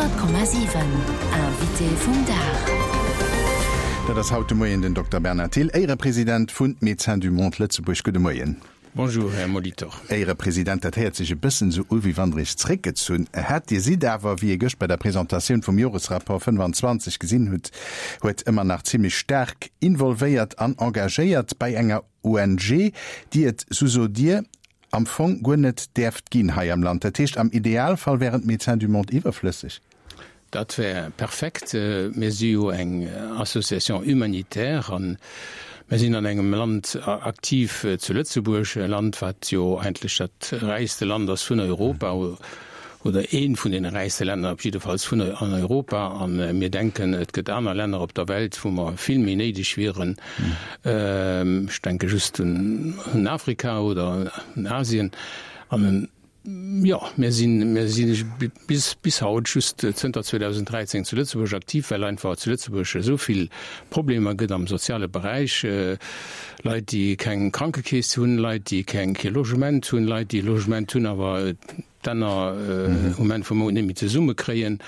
100,7 Invité vum Dag. Dat ass haut de Moien den Dokter Bernard Thill, Éierepresident vun Médecins du Monde Lëtzebuerg. Gudde Moien. Bonjour, Här Molitor. Éierepresident, dat héiert sech e bëssen esou u, wéi wann Der Iech zréckgezunn hätt. Dir sidd awer, wéi ee gëscht bei der Presentatioun vum Joresrapport 25 gesinn hutt, huet, ëmmer nach zimlech staark involvéiert an engagéiert bei enger ONG, déi et, sou sot Dir, am Fong guer net däerft ginn hei am Land. Dat heescht, am Idealfall wären d'Médecins du Monde iwwerflësseg? Dat wär perfekt. Mir si jo eng Association humanitaire a mir sinn an engem Land aktiv, zu Lëtzebuerg, e Land, wat jo eigentlech dat räichste Land ass vun Europa oder eent vun deene räichste Länner op jiddefalls vun an Europa. A mir denken, et gëtt aner Länner op der Welt, wou mer vill méi néideg wieren. Ech denke just un Afrika oder un Asien. An jo, mir sinn, mir si bis, bis haut just zënter 2013 zu Lëtzebuerg aktiv, well einfach zu Lëtzebuerg esou vill Problemer gëtt am soziale Beräich, Leit, déi keng Krankekeess hunn, Leit, déi keng, kee Logement hunn, Leit, déi e Logement hunn, awer d'Enner um Enn vum Mount net méi zesumme kréien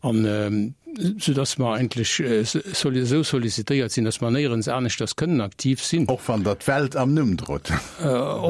an sou dass mer eigentlech esou sollicitéiert sinn, dass mer néierens aneschters kënnen aktiv sinn. Och wann Der d'Welt am Numm drot,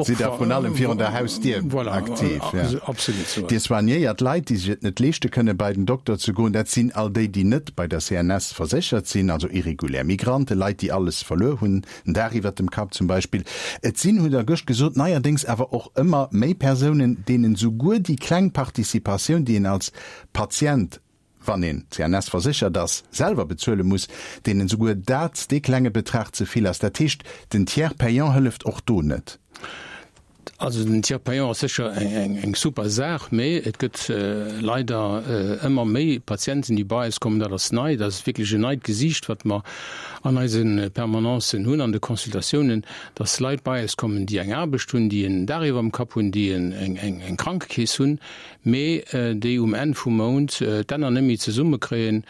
sidd Der vrun allem virun der Hausdier aktiv. Absolut. Dir soignéiert Leit, déi sech et net leeschte kënnen, bei den Dokter ze goen. Dat sinn all déi, déi net bei der CNS verséchert sinn, also irregulär Migranten, Leit, déi alles verluer hunn, Den Daach iwwert dem Kapp zum Beispill. Et sinn, hutt Der gëscht gesot, neierdéngs awer och ëmmer méi Persounen, deenen souguer déi kleng Participatioun, déi een als Patient, wann een CNS verséchert ass, selwer bezuele muss, deenen souguer dat, dee klenge Betrag ze vill ass. Dat heescht, den Tiers payant hëlleft och do net. Also den Tiers payant ass sécher eng super Saach, mee et gëtt leider ëmmer méi Patienten, déi bei eis kommen. Dat ass nei, dat ass wierklech en neit Gesiicht, wat mer an eise Permanencen hunn, an de Consultatiounen, dass Leit bei eis kommen, déi eng Aarbecht hunn, déi en Daach iwwer dem Kapp hunn, déi eng Krankekeess hunn, mee déi um Enn vum Mount d'Enner net méi zesummekréien,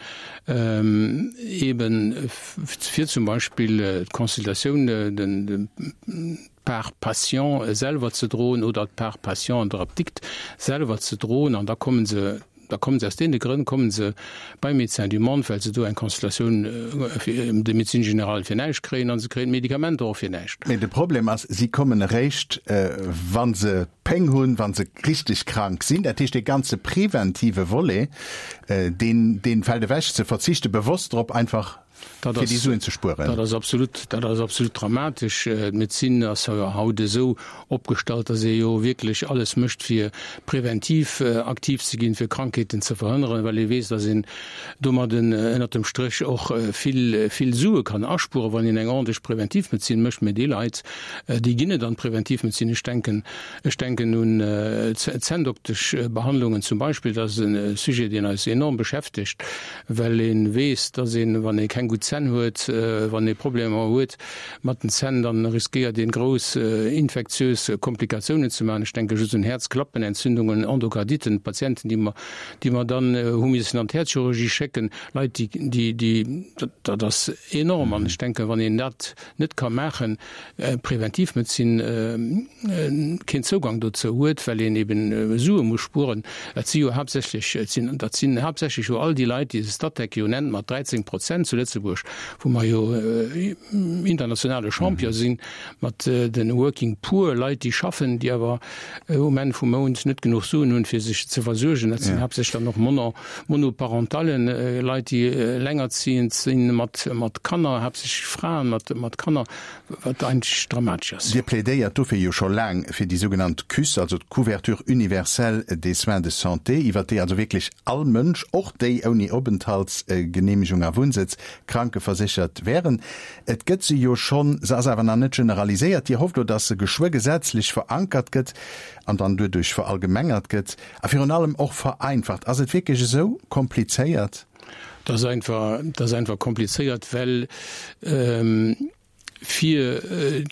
eeben fir zum Beispill d'Consultatioun, den, d'Part patient selwer ze droen oder d'Part patient an der Apdikt selwer ze droen. An da komme se, da komme se aus deene Grënn komme se bei Médecins du Monde, well se do eng Consultatioun de médecine générale fir näischt kréien a se kréien d'Medikamenter och fir näischt. Mee de Problem ass, si kommen eréischt, wa se Péng hunn, wa se richteg krank sinn. Dat heescht, dee ganze preventive Volet, deen, dee fält ewech. Se verzichte bewosst drop, einfach fir déi Suen ze spueren. Dat ass absolut, dat ass absolut dramatesch. D'Medezin ass jo haut esou opgestallt, datt ee jo wierklech alles mécht, fir preventiv aktiv ze ginn, fir Krankheeten ze verhënneren, well ee weess, datt een domadden ënnert dem Stréch och vill, vill Sue kann aspueren, wann een eng ordentlech Preventivmedezin mécht. Mä déi Leit, déi ginn net an d'Preventivmedezin. Ech denken, ech denken un zänndoktesch Behandlungen zum Beispill. Dat ass e Sujet, deen eis enorm beschäftegt. well ee weess, dass een, wann ee keng gutt Zänn huet, wann ee Problemer huet mat den Zänn, dann riskéiert een grouss infektiös Komplikatiounen ze maachen. Ech denke just un Häerzklappenentzündungen, Endokarditen, Patienten, déi mer, déi mer dann hu missen an d'Häerzchirurgie schécken, Leit, déi, déi, déi, dat ass enorm. An ech denken, wann een dat net ka maachen, Preventivmedezin keen Zougang dozou huet, well een eben Sue muss spueren. Dat si jo haaptsächlech, dat sinn haaptsächlech jo all déi Leit, déi de Statec jo nennt mat 13 Prozent zu Lëtzebuerg, wou mer jo internationale Champion sinn, mat de Working Poor, Leit déi schaffen, déi awer um Enn vum Mount net genuch Suen hunn, fir sech ze versuergen. Dat sinn haaptsächlech dann och Monoparentallen, Leit déi elengerziehend sinn mat Kanner, haaptsächlech Fraen mat Kanner, wat eigentlech dramatesch ass. Dir plädéiert dofir jo scho laang fir déi sougenannt CUS, also d'Couverture universelle des soins de santé, iwwert déi also wierklech all Mënsch, och déi ouni Openthaltsgeneemegung a Wunnsëtz, krankeverséchert wären. Et gëtt se jo schonn, se ass awer nach net generaliséiert. Dir hofft elo, dass se geschwë gesetzlech verankert gëtt an dann duerduerch verallgemengert gëtt a virun allem och vereinfacht. Ass et wierklech esou komplizéiert? Dat ass einfach, dat ass einfach komplizéiert, well. Fir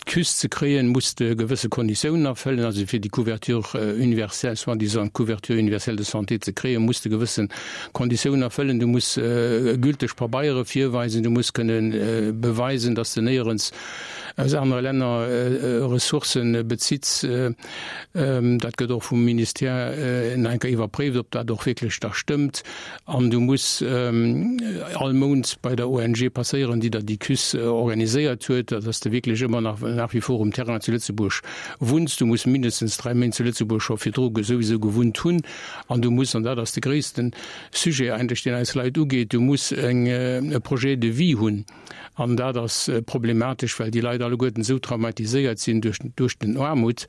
d'Cus ze kréien, muss de gewësse Konditiounen erfëllen. Also fir déi Couverture universelle, soi-disant couverture universelle de santé ze kréien, muss de gewësse Konditiounen erfëllen. Du muss gülteg Pabeiere virweisen, du muss kënne beweisen, dass de néierens aus anere Länner Ressourcë bezitts. Dat gëtt och vum Ministère nach eng Kéier iwwerpréift, ob dat och wierklech da stëmmt. An du muss all Mount bei der ONG passéieren, déi der déi Cus organiséiert huet, dass de wierklech ëmmer nach nach wie vor um Terrain zu Lëtzebuerg wunns. Du muss mindestens 3 Méint zu Lëtzebuerg scho virdru souwisou gewunnt hunn. An du muss, an dat ass de gréisste Sujet eigentlech, deen eis Leit ugeet, du muss eng e Projet de vie hunn. An dat ass problematesch, well déi Leit alleguerten esou traumatiséiert sinn duerch, duerch den Aarmut,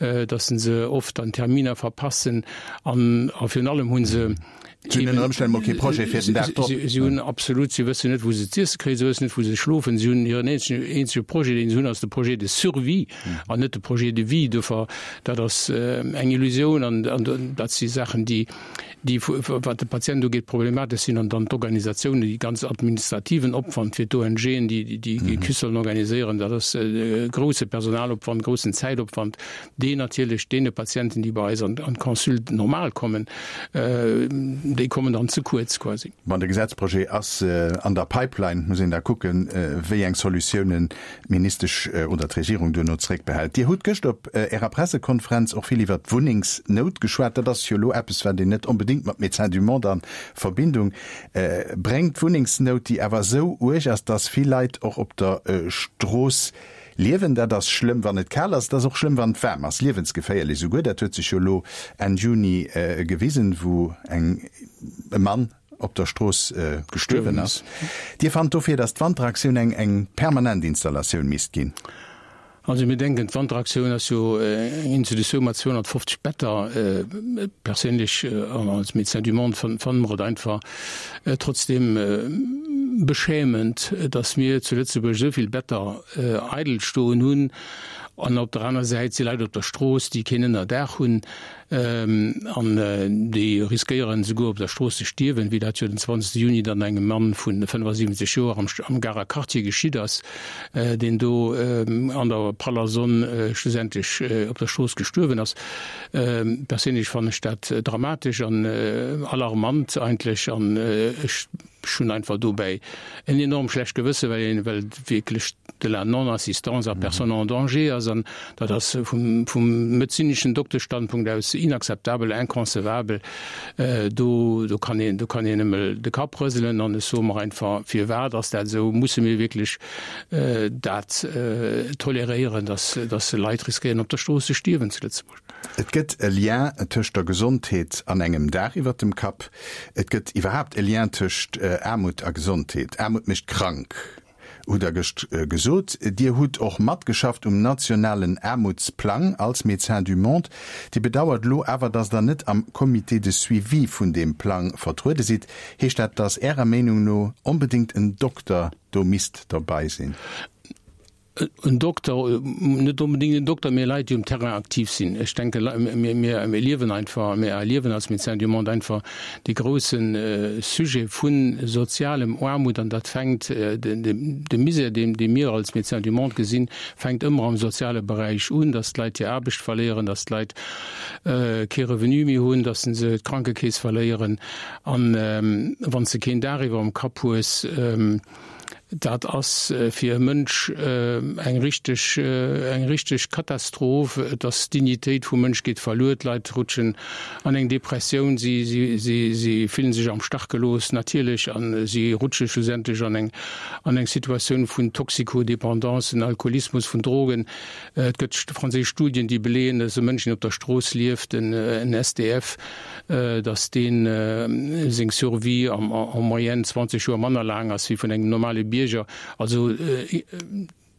datt se oft dann Terminer verpassen. An, a virun allem hu se. Si hunn ënner Ëmstänn mol kee Projet fir den Dag drop. Si hunn absolut, si wëssen net, wou se z'iesse kréien, si wëssen net, wou se schlofen. Si hunn hiren eenzegen, eenzege Projet, deen se hunn, ass de Projet de survie an net de Projet de vie. Dofir, dat ass eng Illusioun an, an dat si Saachen, déi, déi wat de Patient ugeet problematesch sinn, an dann d'Organisatioun, déi ganz administrativen Opwand fir d'ONGen, déi déi Cus sollen organiséieren, dat ass e grouse Personalopwand, groussen Zäitopwand, deen natierlech deene Patienten, déi bei eis an d'Consulte normal kommen, déi kommen dann ze kuerz quasi. Bon, de Gesetzprojet ass an der Pipeline, muss een da kucken, wéi eng Solutiounen d'Ministesch oder d'Regierung duerno zréckbehält. Dir hutt gëscht op Ärer Pressekonferenz och vill iwwert d'Wunnengsnout geschwat. Dat ass jo elo eppes, wat een net onbedéngt mat Médecins du Monde a Verbindung bréngt. D'Wunnengsnout, déi awer esou uerg ass, datt vill Leit och op der Strooss liewen. Dat ass schlëmm, wann et kal ass. Et ass och schlëmm, wann et waarm ass, liewensgeféierlech esouguer. Dat huet sech jo elo Enn Juni gewisen, wou eng e Mann, op der Strooss gestuerwen ass. Dir fannt dofir, datt d'Wanteraktioun eng eng permanent Installatioun misst ginn? Also mir denken, d'Wanteraktioun ass jo eng Institutioun mat 250 Better. Perséinlech an als Médecins du Monde fanne mer et einfach trotzdeem beschämend, datt mir zu Lëtzebuerg esou vill Better eidel stoen hunn an op der aner Säit si Leit op der Strooss, déi keen Ënnerdaach hunn. An déi riskéieren esouguer op der Strooss ze stierwen, wéi dat jo den 20 Juni dann engem Mann vu 75 Joer am Garer Quartier geschitt ass, deen do an der praller Sonn schlussendlech op der Strooss gestuerwen ass. Perséinlech fannen ech dat dramatesch an alarmant eigentlech an ech Ech hunn einfach dobäi en enorm schlecht Gewësse, well een, well et wierklech de la non-assistance à personne en danger ass an dat ass vum, vum medezineschen Dokteschstandpunkt aus inakzeptabel, inconcevabel. Do, do kann een, do kann een nëmme de Kapp rëselen an ech soe mer einfach, Firwat ass dat esou? Musse mir wierklech dat toleréieren, dass, dass Leit riskéieren op der Strooss ze stierwen zu Lëtzebuerg? Et gëtt e Lien tëscht der Gesondheet an engem Daach iwwert dem Kapp. Et gëtt iwwerhaapt e Lien tëscht Aarmut a Gesondheet. Aarmut mécht krank, hutt Der gëscht gesot. Dir hutt och matgeschafft um nationalen Aarmutsplang als Médecins du Monde. Dir bedauert elo awer, datt Der net am Comité de suivi vun deem Plang vertruede sidd. Heescht dat, datt Ärer Meenung no onbedéngt en Dokter do misst derbei sinn? En Dokter, net onbedéngt en Dokter, mee Leit, déi um Terrain aktiv sinn. Ech denke mir, mir erliewen einfach, mir erliewen als Médecins du Monde einfach dee grousse Sujet vu sozialem Aarmut an dat fänkt, de Misär, deen, dee mir als Médecins du Monde gesinn, fänkt ëmmer am soziale Beräich un, dass d'Leit hir Aarbecht verléieren, dass d'Leit kee Revenu méi hunn, dass se d'Krankekeess verléieren an wann s de keen Daach iwwer dem Kapp hues, Dat ass fir e Mënsch eng richteg, eng richteg Katastroph. Et ass, d'Dignitéit vum Mënsch geet verluer, d'Leit rutschen an eng Depressioun, si, si, si, si fillen sech am Stach gelooss natierlech a si rutsche schlussendlech an eng, an eng Situatioun vun Toxicodépendance, Alkoholismus, vun Drogen. Et gëtt franséisch Studien, déi beleeën, dass e Mënsch, deen op der Strooss lieft, en SDF, dass deen seng Survie en moyenne 20 Joer manner laang ass wéi vun engem normale Bierger. Also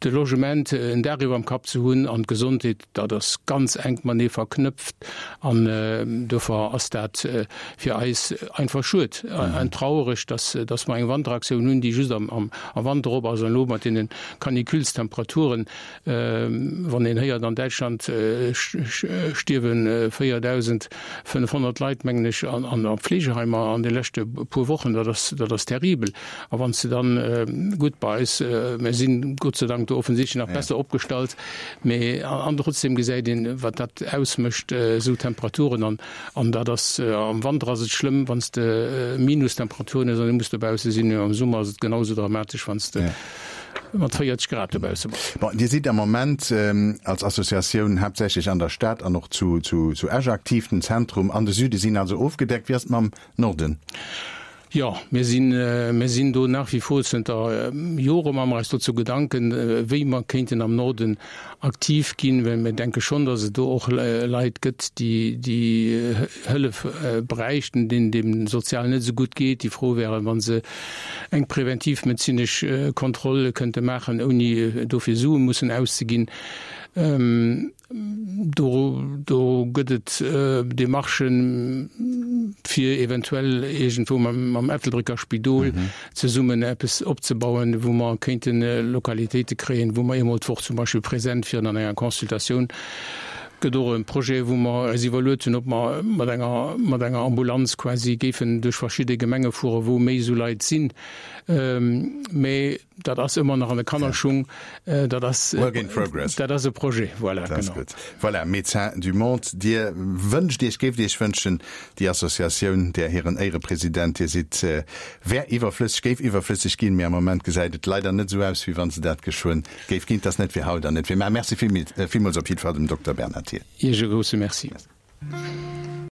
de Logement, en Daach iwwerm Kapp ze hunn an d'Gesondheet, dat ass ganz enk matenee verknëpft an dofir ass dat fir eis einfach schued an trauereg, dass dass mer eng Wanteraktioun hunn, déi just am Wanter op ass an elo mat deene Caniculestemperaturen Wann een héiert, an Däitschland stierwe 4.500 Leit, mengen ech, an a Fleegeheimer an de leschte puer Wochen, dat ass, dat ass terribel. A wann s de dann, gutt, bei eis, mir sinn Gott sei Dank do. do offensichtlech nach besser opgestallt, mee an trotzdem gesäit een, wat dat ausmécht, esou Temperaturen. An an dat ass, am Wanter ass et schlëmm, wann s de Minustemperaturen hues an du muss dobausse sinn, am Summer ass et genau esou dramatesch, wann s de mat 40 Grad dobausse bass. Bon, Dir sidd am Moment als Associatioun haaptsächlech an der Stad an och zu zu Esch aktiv. Den Zentrum an de Süde sinn also ofgedeckt. Wéi ass et mam Norden? Jo, mir sinn, mir sinn do nach wie vor zënter Jore maache mer eis dozou Gedanken, wéi mer kéinten am Norden aktiv ginn, well mir denke schonn, datt et do och Leit gëtt, déi, déi Hëllef bräichten, deenen et eben sozial net esou gutt geet, déi frou wären, wa se eng präventivmedezinesch Kontroll kënnte maachen, ouni dofir Sue mussen auszeginn. Do, do gëtt et Demarchen, fir eventuell iergendwou mam, mam Ettelbrécker Spidol zesummen eppes opzebauen, wou mer kéinte Lokalitéite kréien, wou mer eemol d'Woch zum Beispill present wieren an enger Consultatioun. Gëtt och e Projet, wou mer eis iwwerluet hunn, ob mer mat enger, mat enger Ambulanz quasi géifen duerch verschidde Gemenge fueren, wou méi esou Leit sinn. Mä Dat ass ëmmer nach an de Kannerschung. Dat ass, Work in progress. Dat ass e Projet, voilà, Dat ass genau. gutt. Voilà, Médecins du Monde, Dir wënscht Iech, géift Iech wënschen, déi Associatioun, där hiren Éierepresident Dir sidd, wär iwwerflësseg, géif iwwerflësseg ginn, mee am Moment gesäit et leider net esou aus, wéi wa se dat geschwënn géif ginn. Et ass net fir haut an net fir mar. Merci villmools op jiddwer Fall dem Dokter Bernard Thiel. Iech e grousse Merci.